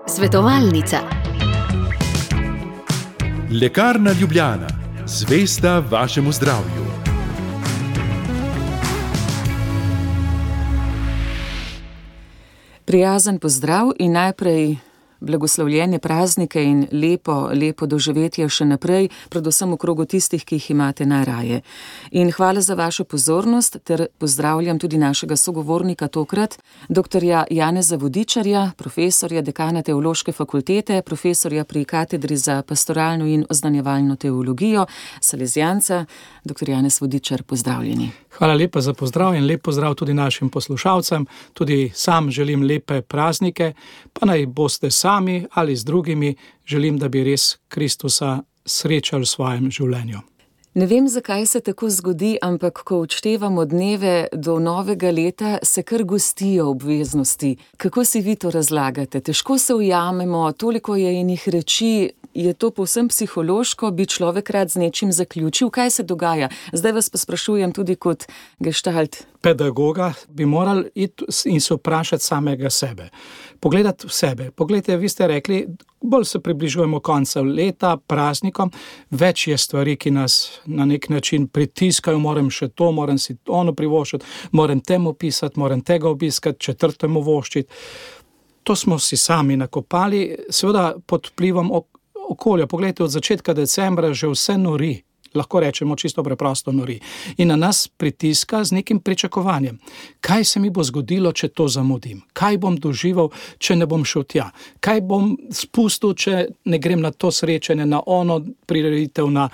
Svetovalnica. Lekarna Ljubljana, zvesta vašemu zdravju. Prijazen pozdrav in najprej blagoslovljene praznike in lepo doživetje še naprej, predvsem v krogu tistih, ki jih imate najraje. In hvala za vašo pozornost ter pozdravljam tudi našega sogovornika tokrat, doktorja Janeza Vodičarja, profesorja, dekana Teološke fakultete, profesorja pri katedri za pastoralno in oznanjevalno teologijo, salezijanca. Doktor Janez Vodičar, pozdravljeni. Hvala lepa za pozdrav in lep pozdrav tudi našim poslušalcem. Tudi sam želim lepe praznike, pa naj boste sami ali z drugimi, želim, da bi res Kristusa srečali v svojem življenju. Ne vem, zakaj se tako zgodi, ampak ko odštevamo dneve do novega leta, se kar gostijo obveznosti. Kako si vi to razlagate? Težko se ujamemo, toliko je enih reči. Je to povsem psihološko, bi človek rad z nečim zaključil? Kaj se dogaja? Zdaj vas pa sprašujem tudi kot gestalt pedagoga, bi morali iti in se vprašati samega sebe. Pogledati v sebe. Poglejte, vi ste rekli, bolj se približujemo konca leta, praznikom, več je stvari, ki nas na nek način pritiskajo, moram še to, moram si ono privoščiti, moram temu pisati, moram tega obiskati, četrtemu voščiti. To smo si sami nakopali, seveda pod vplivom okolja. Poglejte, od začetka decembra že vse nori, lahko rečemo čisto preprosto nori. In na nas pritiska z nekim pričakovanjem. Kaj se mi bo zgodilo, če to zamudim? Kaj bom doživel, če ne bom šel tja? Kaj bom spustil, če ne grem na to srečanje, na ono prireditev, na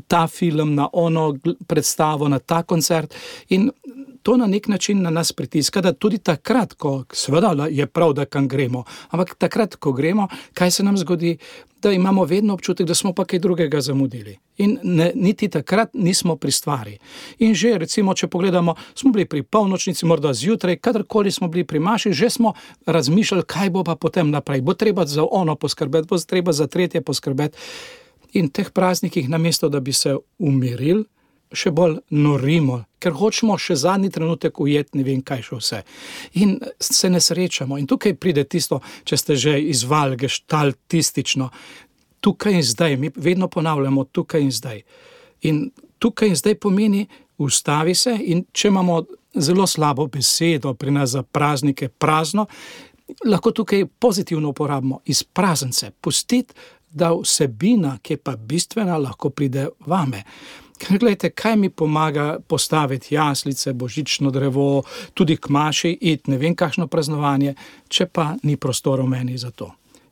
ta film, na ono predstavo, na ta koncert? In to na nek način na nas pritiska, da tudi takrat, ko seveda je prav, da kam gremo, ampak takrat, ko gremo, kaj se nam zgodi, da imamo vedno občutek, da smo pa kaj drugega zamudili. In niti takrat nismo pri stvari. In že, recimo, če pogledamo, smo bili pri polnočnici, morda zjutraj, kadarkoli smo bili pri maši, že smo razmišljali, kaj bo pa potem naprej. Bo treba za ono poskrbeti, bo treba za tretje poskrbeti. In teh praznikih, namesto da bi se umirili, še bolj norimo, ker hočemo še zadnji trenutek ujeti, ne vem kaj še vse. In se ne srečamo. In tukaj pride tisto, če ste že izvali gestaltistično, tukaj in zdaj, mi vedno ponavljamo tukaj in zdaj. In tukaj in zdaj pomeni ustavi se in če imamo zelo slabo besedo pri nas za praznike prazno, lahko tukaj pozitivno uporabimo izprazen se, pustiti, da vsebina, ki je pa bistvena, lahko pride vame. Ker gledajte, kaj mi pomaga postaviti jaslice, božično drevo, tudi k maši, iti ne vem kakšno praznovanje, če pa ni prostora v meni za to.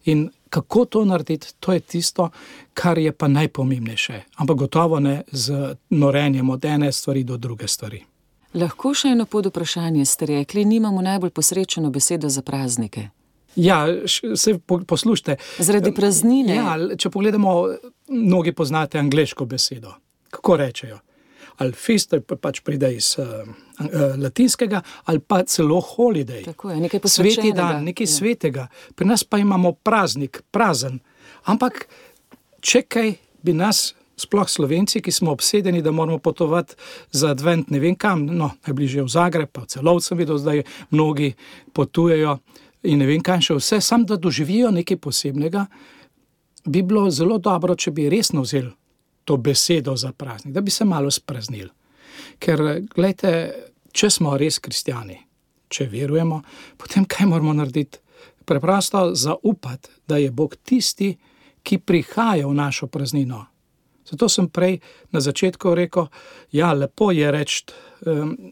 In kako to narediti, to je tisto, kar je pa najpomembnejše, ampak gotovo ne z norenjem od ene stvari do druge stvari. Lahko še eno podvprašanje ste rekli, nimamo najbolj posrečeno besedo za praznike. Ja, se poslušajte. Zaradi praznine. Ja, če pogledamo, mnogi poznate angleško besedo. Kako rečejo? Ali fest, pač pride iz latinskega, ali pa celo holiday. Tako je, nekaj posvečenega. Sveti dan, nekaj svetega. Pri nas pa imamo praznik, prazen. Ampak čekaj bi nas, sploh Slovenci, ki smo obsedeni, da moramo potovati za advent ne vem kam, najbližje v Zagreb, pa v Celovcu sem videl, zdaj mnogi potujejo in ne vem kam še vse, sam da doživijo nekaj posebnega, bi bilo zelo dobro, če bi resno vzeli to besedo za praznik, da bi se malo spraznili. Ker, gledajte, če smo res kristjani, če verujemo, potem kaj moramo narediti? Preprosto zaupati, da je Bog tisti, ki prihaja v našo praznino. Zato sem prej na začetku rekel, ja, lepo je reči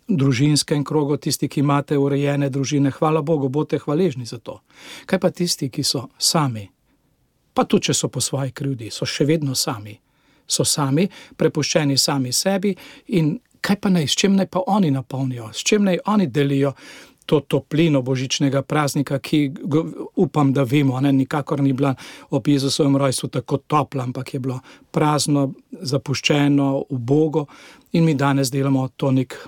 družinskem krogu, tisti, ki imate urejene družine, hvala Bogu, bodite hvaležni za to. Kaj pa tisti, ki so sami? Pa tudi, če so po svoji krivdi, so še vedno sami. So sami, prepuščeni sami sebi in kaj pa naj, s čem naj pa oni napolnijo, s čem naj oni delijo to toplino božičnega praznika, ki upam, da vemo, nikakor ni bila ob Jezusovem rojstvu tako topla, ampak je bilo prazno, zapuščeno, ubogo in mi danes delamo to nek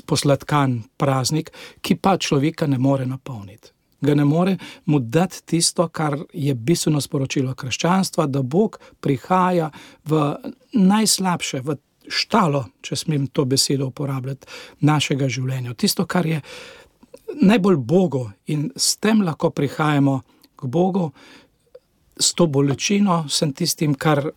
posladkan praznik, ki pa človeka ne more napolniti. Ga ne more mu dati tisto, kar je bistveno sporočilo krščanstva, da Bog prihaja v najslabše, v štalo, če smem to besedo uporabljati, našega življenja. Tisto, kar je najbolj Bogu in s tem lahko prihajamo k Bogu, s to bolečino, sem tistim, kar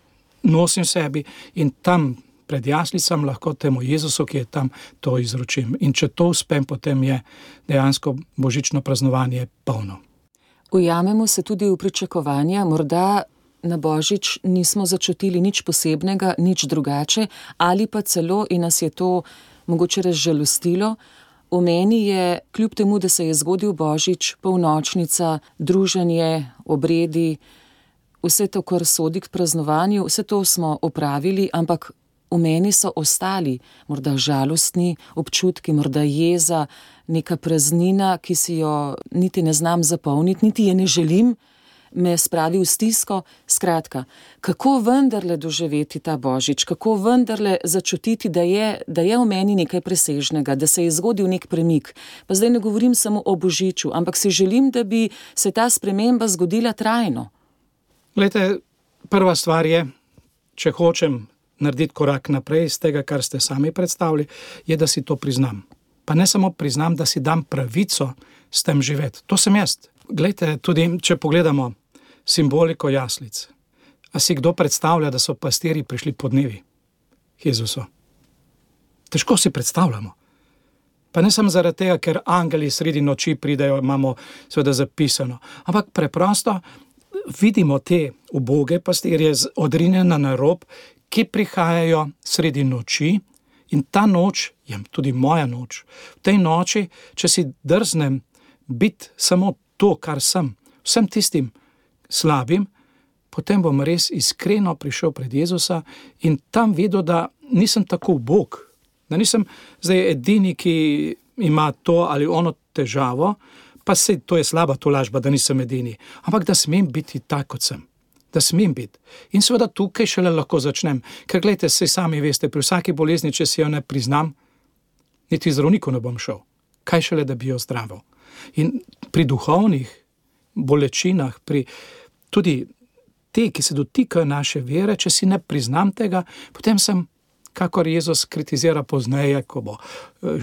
nosim sebi in tam pred jaslicam lahko temu Jezusu, ki je tam, to izročim. In če to uspem, potem je dejansko božično praznovanje polno. Ujamemo se tudi v pričakovanja, morda na Božič nismo začutili nič posebnega, nič drugače, ali pa celo, in nas je to mogoče razžalostilo, v meni je, kljub temu, da se je zgodil Božič, polnočnica, druženje, obredi, vse to, kar sodi k praznovanju, vse to smo opravili, ampak v meni so ostali morda žalostni občutki, morda jeza, neka praznina, ki si jo niti ne znam zapolniti, niti je ne želim, me spravi v stisko. Skratka, kako vendarle doživeti ta Božič, kako vendarle začutiti, da je v meni nekaj presežnega, da se je zgodil nek premik. Pa zdaj ne govorim samo o Božiču, ampak si želim, da bi se ta sprememba zgodila trajno. Glejte, prva stvar je, če hočem narediti korak naprej iz tega, kar ste sami predstavili, je, da si to priznam. Pa ne samo priznam, da si dam pravico s tem živeti. To sem jaz. Glejte, tudi če pogledamo simboliko jaslic, a si kdo predstavlja, da so pastirji prišli po dnevi Jezusu? Težko si predstavljamo. Pa ne samo zaradi tega, ker angeli sredi noči pridejo, imamo seveda zapisano, ampak preprosto vidimo te uboge pastirje odrinjene na rob, ki prihajajo sredi noči in ta noč je tudi moja noč. V tej noči, če si drznem biti samo to, kar sem, vsem tistim slabim, potem bom res iskreno prišel pred Jezusa in tam videl, da nisem tako ubog, da nisem zdaj edini, ki ima to ali ono težavo, pa se to je slaba tolažba, da nisem edini, ampak da smem biti tak, kot sem. Da smem biti. In seveda tukaj šele lahko začnem. Ker gledajte, saj sami veste, pri vsaki bolezni, če si jo ne priznam, niti zdravniku ne bom šel. Kaj šele, da bi jo zdravil. In pri duhovnih bolečinah, pri tudi te, ki se dotikajo naše vere, če si ne priznam tega, potem sem, kakor Jezus kritizira pozneje, ko bo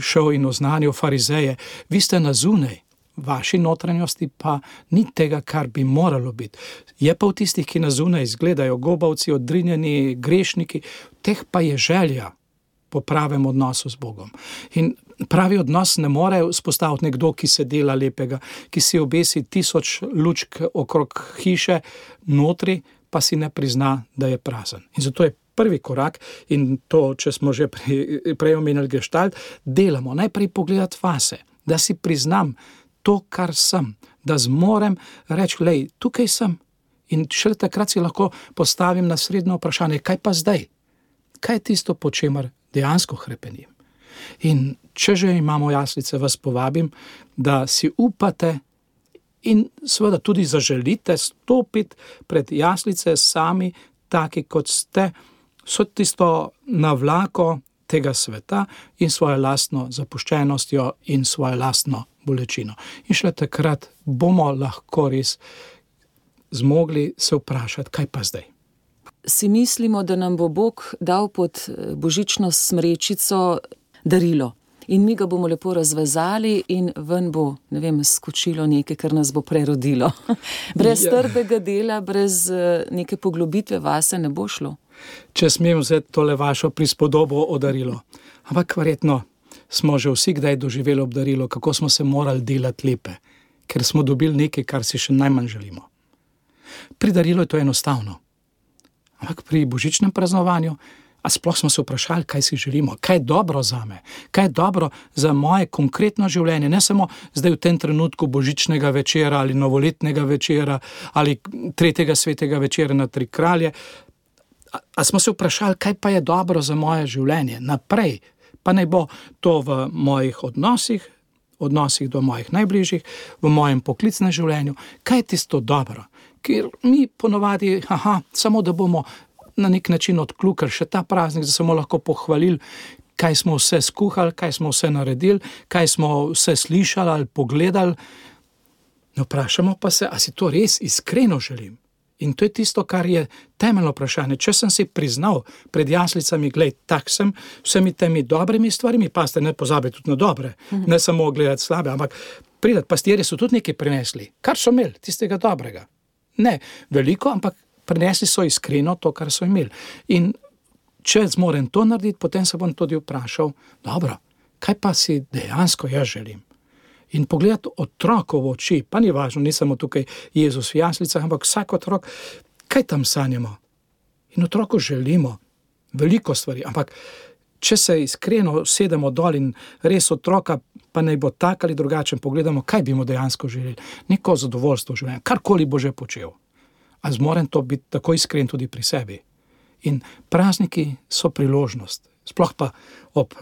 šel in oznanil farizeje, vi ste na zunaj, vaši notranjosti pa ni tega, kar bi moralo biti. Je pa v tistih, ki na zunaj izgledajo gobavci, odrinjeni, grešniki, teh pa je želja po pravem odnosu z Bogom. In pravi odnos ne more vzpostaviti nekdo, ki se dela lepega, ki si obesi 1000 lučk okrog hiše, notri pa si ne prizna, da je prazen. In zato je prvi korak, in to, če smo že prej omenili gestalt, delamo najprej pogledati vase, da si priznam to, kar sem, da zmorem reči, lej, tukaj sem. In šele takrat si lahko postavim naslednje vprašanje, kaj pa zdaj? Kaj je tisto, po čemer dejansko hrepenim? In če že imamo jaslice, vas povabim, da si upate in seveda tudi zaželite stopiti pred jaslice sami, taki kot ste, so tisto navlako tega sveta in svojo lastno zapuščenostjo in svojo lastno bolečino. In šele takrat bomo lahko res zmogli se vprašati, kaj pa zdaj. Si mislimo, da nam bo Bog dal pod božično smrečico darilo in mi ga bomo lepo razvezali in ven bo, ne vem, skočilo nekaj, kar nas bo prerodilo. Brez trdega dela, brez neke poglobitve vase ne bo šlo. Če smem vzeti tole vašo prispodobo o darilo. Ampak verjetno smo že vsi kdaj doživeli obdarilo, kako smo se morali delati lepe, ker smo dobili nekaj, kar si še najmanj želimo. Pri darilu je to enostavno. Ampak pri božičnem praznovanju, a sploh smo se vprašali, kaj si želimo, kaj je dobro zame, kaj je dobro za moje konkretno življenje, ne samo zdaj v tem trenutku božičnega večera ali novoletnega večera ali 3. svetega večera na Tri kralje. A smo se vprašali, kaj pa je dobro za moje življenje naprej, pa naj bo to v mojih odnosih do mojih najbližjih, v mojem poklicnem življenju, kaj je tisto dobro, ker mi ponovadi, samo da bomo na nek način odkljukali še ta praznik, da smo lahko pohvalili, kaj smo vse skuhali, kaj smo vse naredili, kaj smo vse slišali ali pogledali. Ne vprašamo pa se, a si to res iskreno želim. In to je tisto, kar je temeljno vprašanje. Če sem si priznal pred jaslicami, glej, tak sem, vsemi temi dobrimi stvarmi, pa ste ne pozabili tudi na dobre, ne samo gledati slabe, ampak pridati, pastirji so tudi nekaj prinesli, kar so imeli, tistega dobrega. Ne veliko, ampak prinesli so iskreno to, kar so imeli. In če zmorem to narediti, potem se bom tudi vprašal, dobro, kaj pa si dejansko jaz želim? In pogledati otroku v oči, pa ni važno, ni samo tukaj Jezus v jaslicah, ampak vsak otrok, kaj tam sanjamo? In otroku želimo veliko stvari, ampak če se iskreno sedemo dol in res otroka, pa naj bo tak ali drugačen, pogledamo, kaj bi mu dejansko želeli, neko zadovoljstvo v življenju, karkoli bo že počel. A zmorem to biti tako iskren tudi pri sebi. In prazniki so priložnost. Sploh pa ob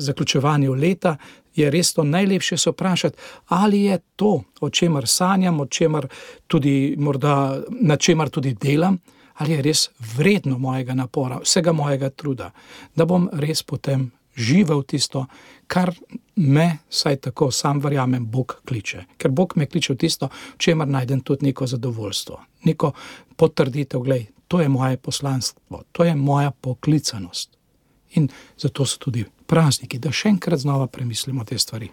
zaključevanju leta je res to najlepše se vprašati, ali je to, o čemer sanjam, o čemer tudi morda, na čemer tudi delam, ali je res vredno mojega napora, vsega mojega truda, da bom res potem živel tisto, kar me, saj tako sam verjamem, Bog kliče. Ker Bog me kliče v tisto, v čemer najdem tudi neko zadovoljstvo, neko potrditev, glej, to je moje poslanstvo, to je moja poklicanost. In zato so tudi prazniki, da še enkrat znova premislimo te stvari.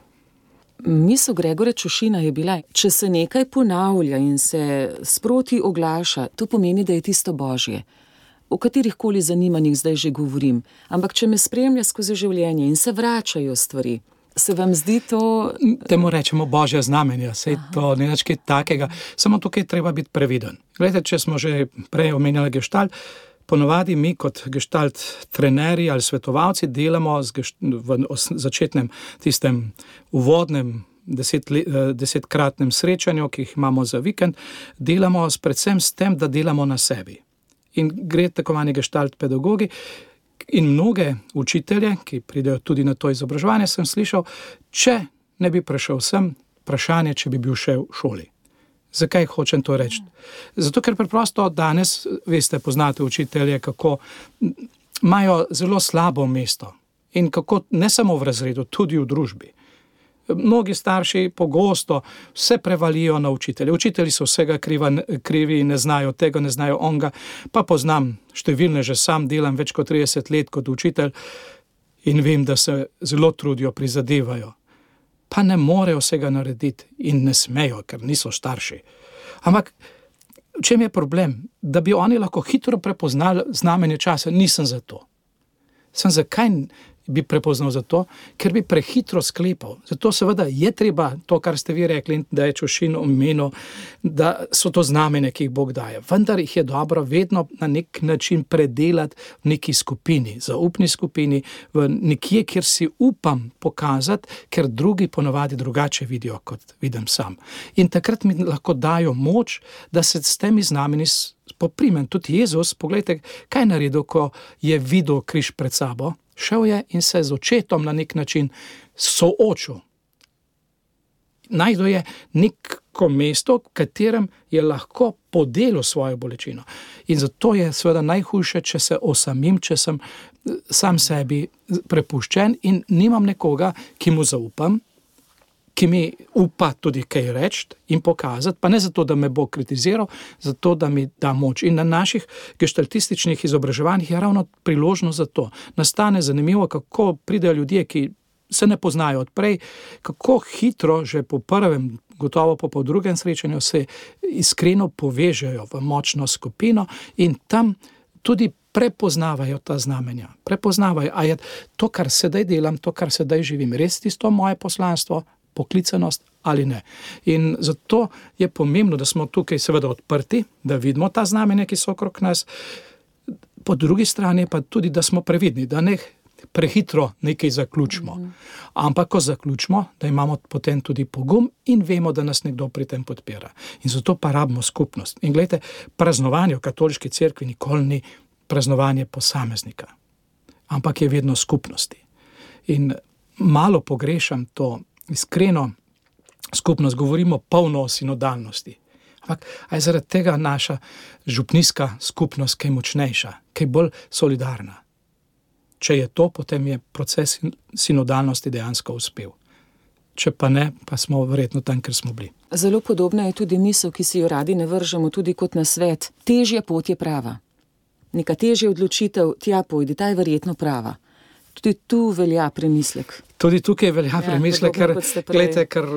Misel Gregorja Čušina je bila, če se nekaj ponavlja in se sproti oglaša, to pomeni, da je tisto Božje. O katerihkoli zanimanjih zdaj že govorim, ampak če me spremlja skozi življenje in se vračajo stvari, se vam zdi to... Temu rečemo Božja znamenja, sej to ni nič kaj takega, samo tukaj treba biti previden. Glejte, če smo že prej omenjali gestalt, ponovadi mi kot gestalt trenerji ali svetovalci delamo v začetnem tistem uvodnem 10-kratnem srečanju, ki jih imamo za vikend, delamo predvsem s tem, da delamo na sebi. In gre tako manj gestalt pedagogi in mnoge učitelje, ki pridejo tudi na to izobraževanje, sem slišal, če ne bi prišel sem, vprašanje, če bi bil še v šoli. Zakaj hočem to reči? Zato, ker preprosto danes, veste, poznate učitelje, kako imajo zelo slabo mesto in kako ne samo v razredu, tudi v družbi. Mnogi starši pogosto vse prevalijo na učitelje. Učitelji so vsega krivi, ne znajo tega, ne znajo onga, pa poznam številne, že sam delam več kot 30 let kot učitelj in vem, da se zelo trudijo, prizadevajo. Pa ne morejo vsega narediti in ne smejo, ker niso starši. Ampak v čem je problem? Da bi oni lahko hitro prepoznali znamenje časa, nisem za to. Sem zakaj bi prepoznal za to? Ker bi prehitro sklepal. Zato seveda je treba to, kar ste vi rekli, da je Čušin omenil, da so to znamenje, ki jih Bog daje. Vendar jih je dobro vedno na nek način predelati v neki skupini, zaupni skupini, v nekje, kjer si upam pokazati, ker drugi ponovadi drugače vidijo, kot vidim sam. In takrat mi lahko dajo moč, da se s temi znamenji poprimem. Tudi Jezus, pogledajte, kaj je naredil, ko je videl križ pred sabo. Šel je in se z očetom na nek način soočil. Najdel je neko mesto, v katerem je lahko podelil svojo bolečino. In zato je seveda najhujše, če se osamim, če sem sam sebi prepuščen in nimam nekoga, ki mu zaupam, ki mi upa tudi kaj reči in pokazati, pa ne zato, da me bo kritiziral, zato, da mi da moč. In na naših gestaltističnih izobraževanjih je ravno priložnost za to. Nastane zanimivo, kako pridejo ljudje, ki se ne poznajo odprej, kako hitro že po prvem, gotovo po drugem srečanju se iskreno povežejo v močno skupino in tam tudi prepoznavajo ta znamenja. Prepoznavajo, a je to, kar sedaj delam, to, kar sedaj živim, res tisto moje poslanstvo, poklicanost ali ne. In zato je pomembno, da smo tukaj seveda odprti, da vidimo ta znamenja, ki so okrog nas. Po drugi strani pa tudi, da smo previdni, da ne prehitro nekaj zaključimo. Ampak ko zaključimo, da imamo potem tudi pogum in vemo, da nas nekdo pri tem podpira. In zato pa rabimo skupnost. In gledajte, praznovanje v katoliški cerkvi nikoli ni praznovanje posameznika, ampak je vedno skupnosti. In malo pogrešam to iskreno skupnost, govorimo polno o sinodalnosti. Ampak je zaradi tega naša župnijska skupnost kaj močnejša, kaj bolj solidarna. Če je to, potem je proces sinodalnosti dejansko uspel. če pa ne, pa smo verjetno tam, ker smo bili. Zelo podobna je tudi misel, ki si jo radi ne vržemo, tudi kot nasvet. Težja pot je prava. Neka težja odločitev, tja pojdi, ta je verjetno prava. Tudi tu velja premislek. Tudi tukaj velja premislek, ker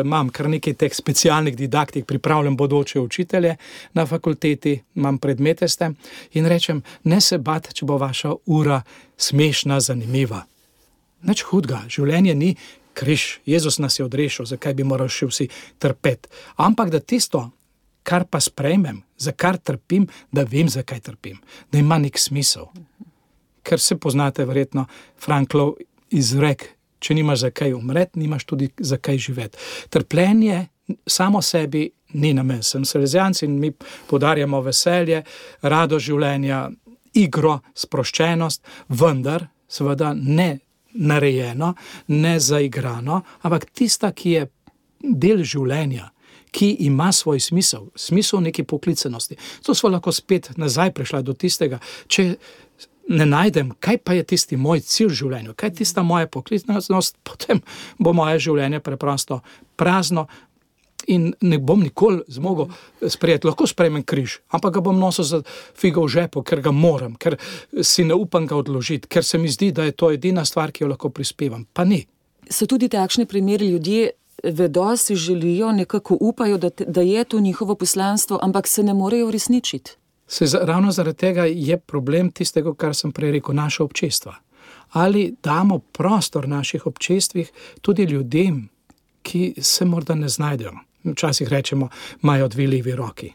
imam kar nekaj teh specialnih didaktik, pripravljam bodoče učitelje na fakulteti, imam predmete s tem in rečem, ne se bati, če bo vaša ura smešna, zanimiva. Nič hudega, življenje ni križ, Jezus nas je odrešil, zakaj bi morali še vsi trpeti. Ampak da tisto, kar pa sprejmem, za kar trpim, da vem, zakaj trpim, da ima nek smisel. Ker se poznate verjetno Franklov izrek, če nimaš zakaj umreti, nimaš tudi zakaj živeti. Trpljenje samo sebi ni namen. Sem salezijanci in mi poudarjamo veselje, radost življenja, igro, sproščenost, vendar seveda ne narejeno, ne zaigrano, ampak tista, ki je del življenja, ki ima svoj smisel neke poklicanosti. To smo lahko spet nazaj prišla do tistega, če ne najdem, kaj pa je tisti moj cilj v življenju, kaj je tista moja poklicnost, potem bo moje življenje preprosto prazno in ne bom nikoli zmogel sprejeti. Lahko sprejmem križ, ampak ga bom nosil za figo v žepu, ker ga moram, ker si ne upam ga odložiti, ker se mi zdi, da je to edina stvar, ki jo lahko prispevam. Pa ni. So tudi takšni primeri, ljudje vedo, si želijo, nekako upajo, da je to njihovo poslanstvo, ampak se ne morejo uresničiti. Ravno zaradi tega je problem tistega, kar sem prej rekel, naša občestva. Ali damo prostor naših občestvih tudi ljudem, ki se morda ne znajdejo. Včasih rečemo, imajo dve levi roki.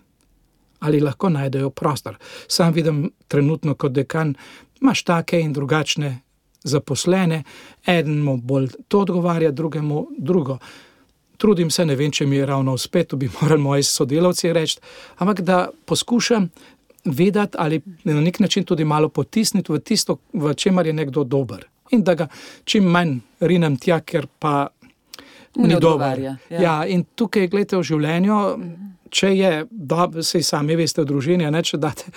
Ali lahko najdejo prostor. Sam vidim trenutno kot dekan, imaš take in drugačne zaposlene, enemu bolj to odgovarja, drugemu drugo. Trudim se, ne vem, če mi je ravno uspet, to bi morali moji sodelavci reči, ampak da poskušam vedeti ali na nek način tudi malo potisniti v tisto, v čemer je nekdo dober. In da ga čim manj rinem tja, ker pa ni dober. Ja, in tukaj, gledajte, v življenju, če je, saj sami veste v družini, ne, če date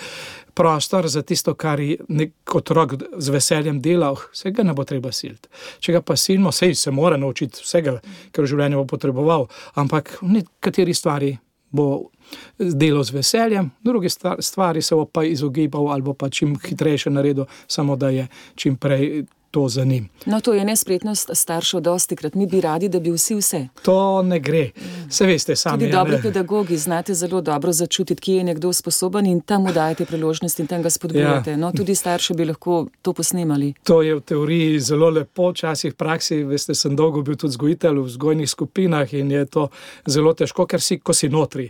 prostor za tisto, kar je nek otrok z veseljem delal, vsega ne bo treba siliti. Če ga pa silimo, sej se mora naučiti vsega, ker v življenju bo potreboval, ampak v nekateri stvari bo delal z veseljem, druge stvari se bo pa izogibal ali bo pa čim hitrejše naredil, samo da je čim prej to za njim. No, to je nespretnost staršev dostikrat. Mi bi radi, da bi vsi vse. To ne gre. Se veste sami. Tudi dobri pedagogi znate zelo dobro začutiti, kje je nekdo sposoben in tam mu dajete priložnost in tam ga spodbujate. No, tudi starši bi lahko to posnemali. To je v teoriji zelo lepo, včasih v praksi, veste, sem dolgo bil tudi vzgojitelj v vzgojnih skupinah in je to zelo težko, ker ko si notri.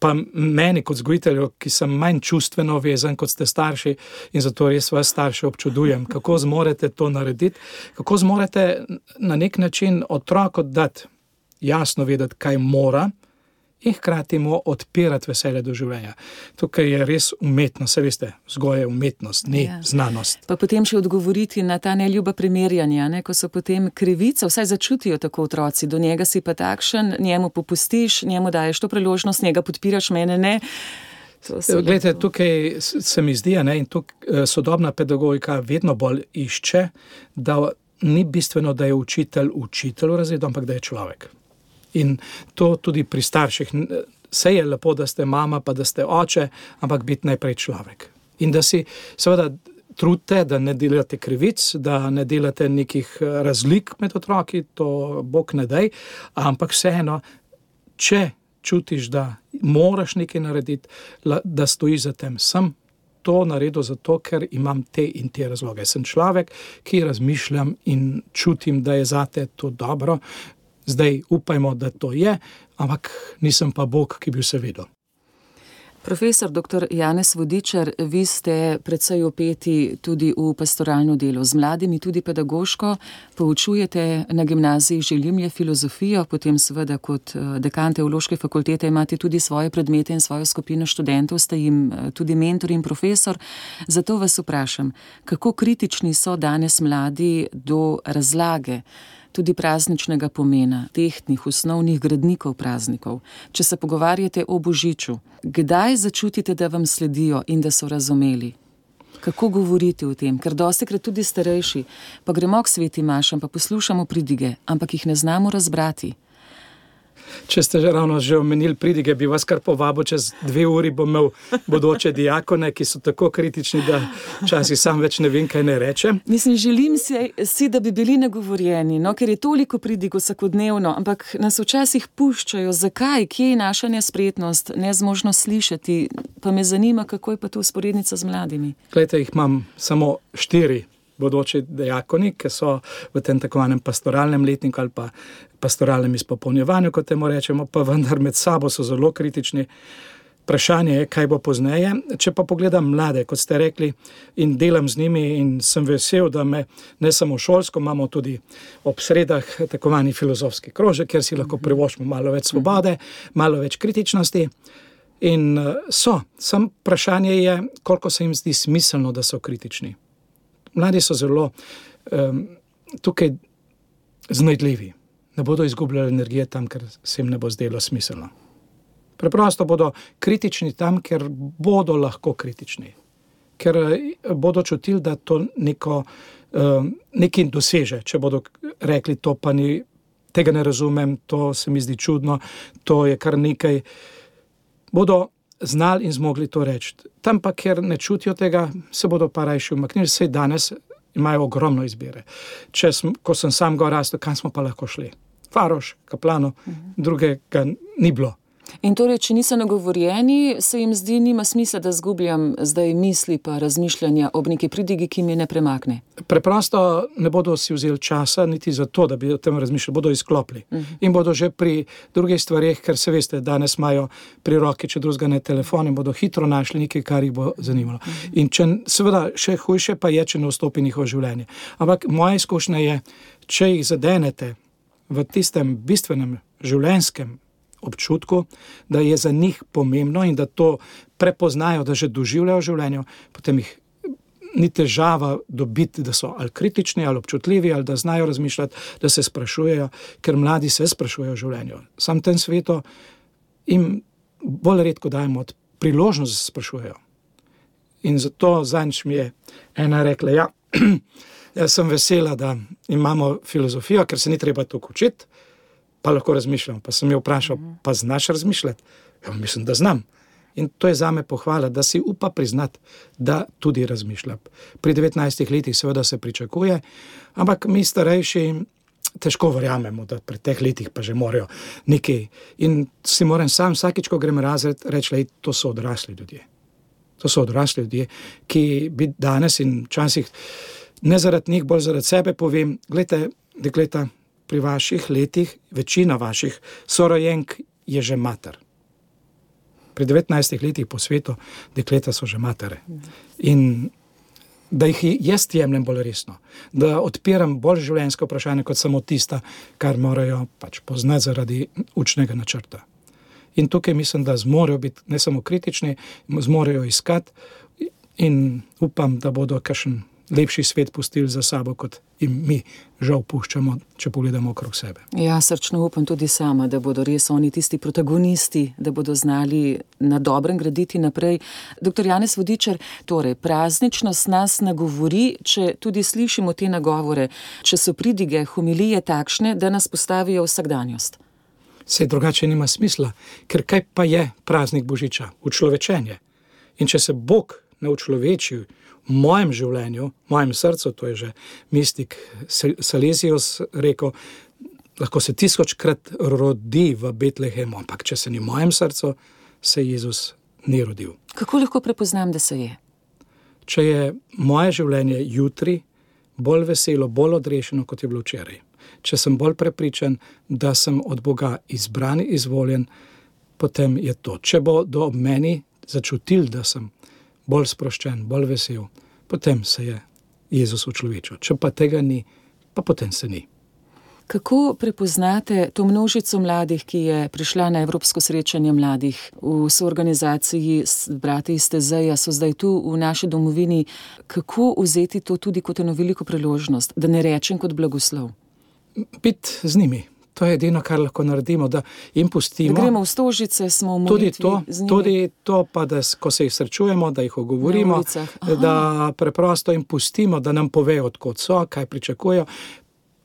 Pa meni kot vzgojitelju, ki sem manj čustveno vezan kot ste starši in zato res vas starše občudujem, kako zmorete to narediti, kako zmorete na nek način otroku dati jasno vedeti, kaj mora in hkrati mu odpirati veselje do življenja. Tukaj je res umetnost, se veste, vzgoja je umetnost, ni znanost. Pa potem še odgovoriti na ta neljuba primerjanja, ne, ko so potem krivica, vsaj začutijo tako otroci, do njega si pa takšen, njemu popustiš, njemu daješ to priložnost, njega podpiraš, mene ne. Glejte, tukaj se mi zdi, ne, in tukaj sodobna pedagogika vedno bolj išče, da ni bistveno, da je učitelj v razredu, ampak da je človek. In to tudi pri starših. Saj je lepo, da ste mama, pa da ste oče, ampak biti najprej človek. In da si seveda trudite, da ne delate krivic, da ne delate nekih razlik med otroki, to Bog ne daj, ampak vseeno, če čutiš, da moraš nekaj narediti, da stojiš za tem, sem to naredil zato, ker imam te in te razloge. Sem človek, ki razmišljam in čutim, da je zate to dobro. Zdaj upajmo, da to je, ampak nisem pa Bog, ki bi vse vedel. Profesor dr. Janez Vodičar, vi ste precej vpeti tudi v pastoralno delo z mladimi, tudi pedagoško. Poučujete na gimnaziji Želimlje filozofijo, potem seveda kot dekan Teološke fakultete imate tudi svoje predmete in svojo skupino študentov, ste jim tudi mentor in profesor. Zato vas vprašam, kako kritični so danes mladi do razlage, tudi prazničnega pomena, tehtnih, osnovnih gradnikov praznikov. Če se pogovarjate o Božiču, kdaj začutite, da vam sledijo in da so razumeli? Kako govoriti o tem? Ker dostikrat tudi starejši, pa gremo k sveti mašam, pa poslušamo pridige, ampak jih ne znamo razbrati. Če ste že omenili pridige, bi vas kar povabil, čez 2 uri bom imel bodoče diakone, ki so tako kritični, da včasih sam več ne vem, kaj ne rečem. Mislim, želim si, da bi bili nagovorjeni, ker je toliko pridig vsakodnevno, ampak nas včasih puščajo. Zakaj? Kje je naša nespretnost, nezmožnost slišati? Pa me zanima, kako je pa tu usporednica z mladimi. Glejte, jih imam samo 4 bodoči diakoni, ki so v tem takovanem pastoralnem letniku ali pa pastoralnem izpopolnjevanju, kot temu rečemo, pa vendar med sabo so zelo kritični. Vprašanje je, kaj bo pozneje. Če pa pogledam mlade, kot ste rekli, in delam z njimi in sem vesel, da me ne samo šolsko, imamo tudi ob sredah takovani filozofski krožek, kjer si lahko privoščimo malo več svobode, malo več kritičnosti. In sam vprašanje je, koliko se jim zdi smiselno, da so kritični. Mladi so zelo tukaj znajdljivi. Ne bodo izgubljali energije tam, ker se jim ne bo zdelo smiselno. Preprosto bodo kritični tam, ker bodo lahko kritični. Ker bodo čutili, da to nekaj doseže. Če bodo rekli, to pa ni, tega ne razumem, to se mi zdi čudno, to je kar nekaj. Bodo znali in zmogli to reči. Tam pa, ker ne čutijo tega, se bodo pa rajši umaknili. Saj danes imajo ogromno izbire. Ko sem sam gor rastel, kam smo pa lahko šli? Faroš, Kaplano, drugega ni bilo. In torej, če niso nagovorjeni, se jim zdi, nima smisla, da zgubljam zdaj misli pa razmišljanja ob neki pridigi, ki mi ne premakne. Preprosto ne bodo si vzeli časa niti za to, da bi o tem razmišljali, bodo izklopili. In bodo že pri drugih stvareh, ker se veste, danes imajo pri roki, če drugega ne telefon, in bodo hitro našli nekaj, kar jih bo zanimalo. In seveda še hujše pa je, če ne vstopi njihovo življenje. Ampak moja izkušnja je, če jih zadenete v tistem bistvenem življenjskem občutku, da je za njih pomembno in da to prepoznajo, da že doživljajo v življenju, potem jih ni težava dobiti, da so ali kritični, ali občutljivi, ali da znajo razmišljati, da se sprašujejo, ker mladi se sprašujejo v življenju. Sam tem svetu jim bolj redko dajemo priložnost, da se sprašujejo. In zato zadnjič mi je ena rekla, jaz sem vesela, da imamo filozofijo, ker se ni treba toliko učiti, pa lahko razmišljam. Pa sem jo vprašal, pa znaš razmišljati? Ja, mislim, da znam. In to je zame pohvala, da si upa priznati, da tudi razmišlja. Pri 19 letih seveda se pričakuje, ampak mi starejši težko verjamemo, da pri teh letih pa že morajo nekaj. In si moram sam vsakič, ko grem razred, reči, to so odrasli ljudje. To so odrasli ljudje, ki bi danes in včasih ne zaradi njih, bolj zaradi sebe povem, gledajte, dekleta, pri vaših letih, večina vaših sorojenk je že mater. Pri 19 letih po svetu dekleta so že matere. In da jih jaz jemljem bolj resno, da odpiram bolj življenjsko vprašanje kot samo tista, kar morajo pač poznati zaradi učnega načrta. In tukaj mislim, da zmorejo biti ne samo kritični, zmorejo iskati in upam, da bodo kakšen lepši svet pustili za sabo, kot jim mi žal puščamo, če pogledamo okrog sebe. Ja, srčno upam tudi sama, da bodo res oni tisti protagonisti, da bodo znali na dobrem graditi naprej. Dr. Janez Vodičar, torej prazničnost nas nagovori, če tudi slišimo te nagovore, če so pridige, homilije takšne, da nas postavijo vsakdanjost. Saj drugače nima smisla, ker kaj pa je praznik Božiča? Učlovečenje. In če se Bog ne učloveči v mojem življenju, v mojem srcu, to je že mistik Salesius rekel, lahko se 1000-krat rodi v Betlehemu, ampak če se ni v mojem srcu, se Jezus ni rodil. Kako lahko prepoznam, da se je? Če je moje življenje jutri bolj veselo, bolj odrešeno, kot je bilo včeraj. Če sem bolj prepričan, da sem od Boga izbran, izvoljen, potem je to. Če bo do meni začutil, da sem bolj sproščen, bolj vesel, potem se je Jezus učlovečil. Če pa tega ni, pa potem se ni. Kako prepoznate to množico mladih, ki je prišla na Evropsko srečanje mladih v soorganizaciji s brati iz Tezeja, so zdaj tu v naši domovini? Kako vzeti to tudi kot eno veliko priložnost, da ne rečem kot blagoslov? Biti z njimi. To je edino, kar lahko naredimo, da jim pustimo. Da gremo v Stožice, smo v molitvi z njimi. Tudi to pa, da ko se jih srečujemo, da jih ogovorimo, da preprosto jim pustimo, da nam povejo, odkot so, kaj pričakujejo.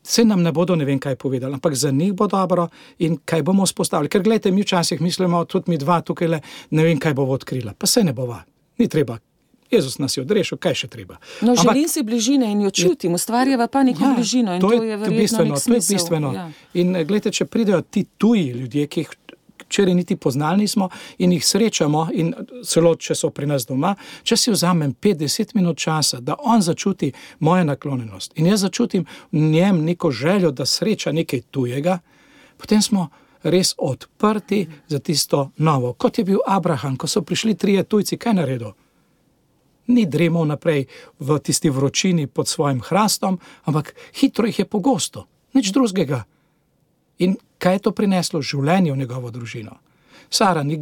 Vse nam ne bodo ne vem kaj povedali, ampak za njih bo dobro in kaj bomo vzpostavili. Ker gledajte, mi včasih mislimo, tudi mi dva tukaj ne vem kaj bomo odkrila. Pa se ne bova, ni treba. Jezus nas je odrešil, kaj še treba. No, želim si bližine in jo čutim, ustvarjava pa neko bližino in to je verjetno nek smisel. To je bistveno. Ja. In gledajte, če pridejo ti tuji ljudje, ki jih včeraj niti poznali nismo in jih srečamo in celo, če so pri nas doma, če si vzamem 5-10 minut časa, da on začuti mojo naklonjenost in jaz začutim v njem neko željo, da sreča nekaj tujega, potem smo res odprti za tisto novo. Kot je bil Abraham, ko so prišli 3 tujci, kaj naredil? Ni dremal naprej v tisti vročini pod svojim hrastom, ampak hitro jih je pogosto, nič drugega. In kaj je to prineslo? Življenje v njegovo družino. Sara ni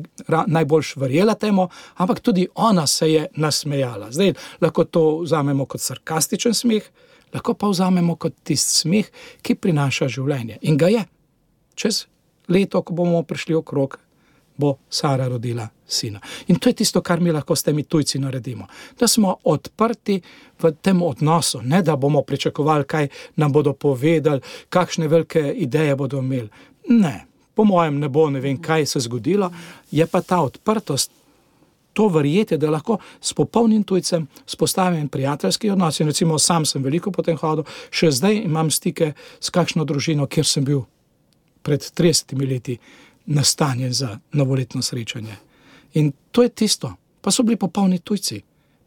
najbolj verjela temu, ampak tudi ona se je nasmejala. Zdaj lahko to vzamemo kot sarkastičen smeh, lahko pa vzamemo kot tisti smeh, ki prinaša življenje. In ga je. Čez leto, ko bomo prišli okrog, bo Sara rodila sina. In to je tisto, kar mi lahko s temi tujci naredimo. Da smo odprti v tem odnosu, ne da bomo pričakovali, kaj nam bodo povedali, kakšne velike ideje bodo imeli. Ne, po mojem ne bo, ne vem, kaj se zgodilo, je pa ta odprtost, to verjetje, da lahko s popolnim tujcem spostavim prijateljski odnos. In recimo sam sem veliko potem hodil, še zdaj imam stike s kakšno družino, kjer sem bil pred 30 leti nastanjen za novoletno srečanje. In to je tisto. Pa so bili popolni tujci.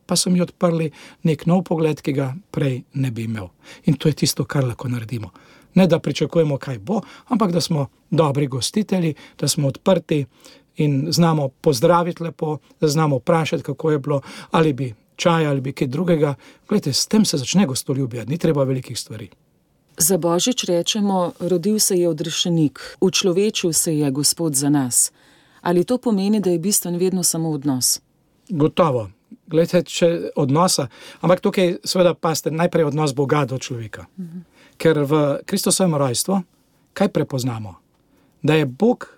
Pa so mi odprli nek nov pogled, ki ga prej ne bi imel. In to je tisto, kar lahko naredimo. Ne da pričakujemo, kaj bo, ampak da smo dobri gostitelji, da smo odprti in znamo pozdraviti lepo, da znamo vprašati, kako je bilo, ali bi čaj, ali bi kaj drugega. Glejte, s tem se začne gostoljubje, ni treba velikih stvari. Za Božič rečemo, rodil se je odrešenik, učlovečil se je Gospod za nas. Ali to pomeni, da je bistven vedno samo odnos? Gotovo. Glejte, če odnosa, ampak tukaj seveda paste najprej odnos Boga do človeka. Ker v Kristusovem rojstvu, kaj prepoznamo? Da je Bog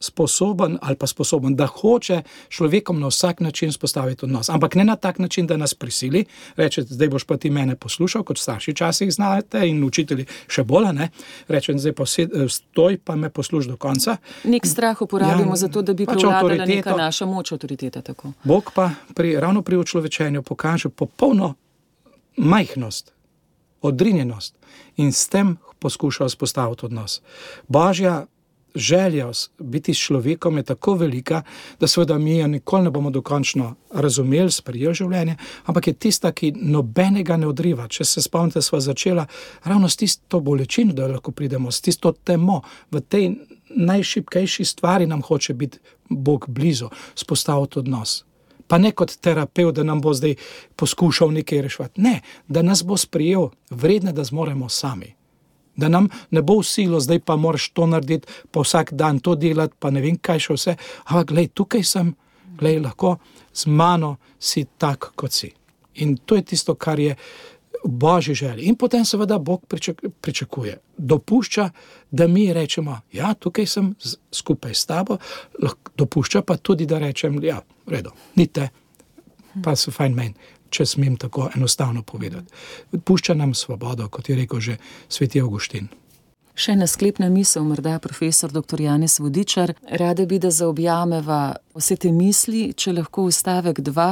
sposoben, da hoče človekom na vsak način spostaviti odnos. Ampak ne na tak način, da nas prisili, reče, zdaj boš pa ti mene poslušal, kot starši časih znate in učitelji še bolj, ne? Reče, zdaj pa stoj, pa me posluš do konca. Nek strah uporabimo za to, da bi prevladala neka naša moč, avtoriteta. Tako. Bog pa ravno pri učlovečenju pokaže popolno majhnost, odrinjenost in s tem poskuša vzpostaviti odnos. Božja želja biti s človekom je tako velika, da seveda mi jo nikoli ne bomo dokončno razumeli, sprejeli življenje, ampak je tista, ki nobenega ne odriva. Če se spomnite, sva začela ravno s tisto bolečino, da lahko pridemo, s tisto temo. V tej najšibkejši stvari nam hoče biti Bog blizu, spostaviti odnos. Pa ne kot terapevt, da nam bo zdaj poskušal nekaj reševati. Ne, da nas bo sprejel vredne, da zmoremo sami. Da nam ne bo vsilo, zdaj pa moraš to narediti, pa vsak dan to delati, pa ne vem kaj še vse. Ampak glej, tukaj sem, glej, lahko z mano si tak, kot si. In to je tisto, kar je Božji želji. In potem seveda Bog pričakuje. Dopušča, da mi rečemo, ja, tukaj sem skupaj s tabo, dopušča pa tudi, da rečem, ja, v redu, ni te, pa so fajn meni, če smem tako enostavno povedati. Pušča nam svobodo, kot je rekel že sveti Avguštin. Še ena sklepna misel, morda profesor dr. Janez Vodičar. Rade bi, da zaobjameva vse te misli, če lahko stavek 2.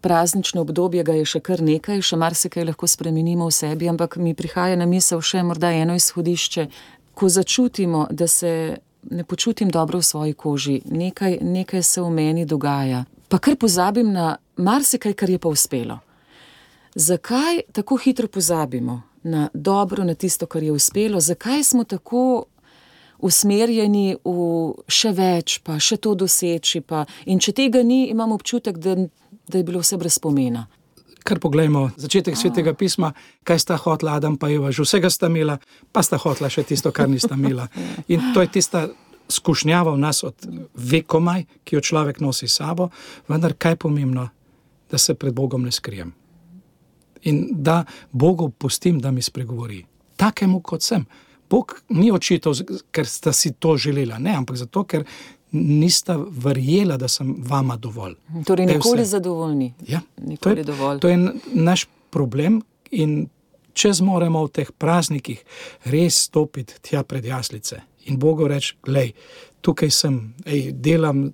Praznično obdobje ga je še kar nekaj, še marsikaj lahko spremenimo v sebi, ampak mi prihaja na misel še morda eno izhodišče. Ko začutimo, da se ne počutim dobro v svoji koži, nekaj se v meni dogaja, pa kar pozabim na marsikaj, kar je pa uspelo. Zakaj tako hitro pozabimo na dobro, na tisto, kar je uspelo? Zakaj smo tako usmerjeni v še več, pa še to doseči? In če tega ni, imam občutek, da je bilo vse brez pomena. Kar poglejmo, začetek Svetega pisma, kaj sta hotla Adam pa Eva, že vsega sta imela, pa sta hotla še tisto, kar nista imela. In to je tista skušnjava v nas od vekomaj, ki jo človek nosi sabo, vendar kaj je pomembno, da se pred Bogom ne skrijem. In da Bogu pustim, da mi spregovori. Takemu kot sem. Bog ni očital, ker sta si to želela, ne, ampak zato, ker nista verjela, da sem vama dovolj. Torej nikoli zadovoljni. Ja, nikoli dovolj. To je naš problem in če zmoremo v teh praznikih res stopiti tja pred jaslice in Bogu reči, glej, tukaj sem, delam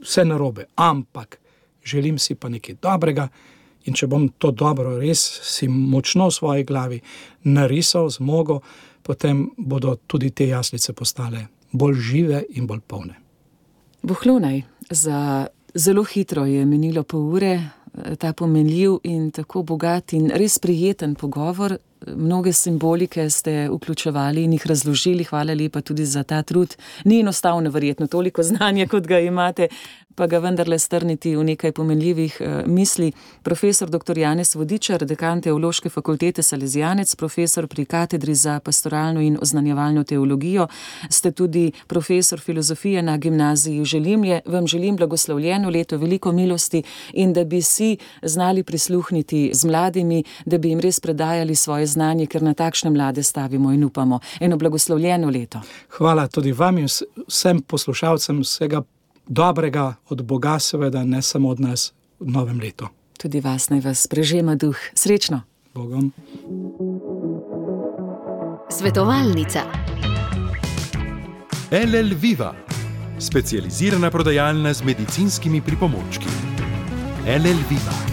vse narobe, ampak želim si pa nekaj dobrega in če bom to dobro res si močno v svoji glavi narisal, zmogel, potem bodo tudi te jaslice postale bolj žive in bolj polne. Bohlonaj, za zelo hitro je minilo pol ure, ta pomenljiv in tako bogat in res prijeten pogovor. Mnoge simbolike ste vključevali in jih razložili, hvala lepa tudi za ta trud. Ni enostavno verjetno toliko znanja, kot ga imate, pa ga vendarle strniti v nekaj pomenljivih misli. Profesor dr. Janez Vodičar, dekan Teološke fakultete Salezijanec, profesor pri katedri za pastoralno in oznanjevalno teologijo, ste tudi profesor filozofije na gimnaziji Želimlje. Vam želim blagoslovljeno leto, veliko milosti in da bi si znali prisluhniti z mladimi, da bi jim res predajali svoje znanje, ker na takšne mlade stavimo in upamo. Eno blagoslovljeno leto. Hvala tudi vam in vsem poslušalcem vsega dobrega od Boga, seveda ne samo od nas v novem letu. Tudi vas naj vas prežema duh. Srečno. Bogom. Svetovalnica. LL Viva, specializirana prodajalna z medicinskimi pripomočki. LL Viva.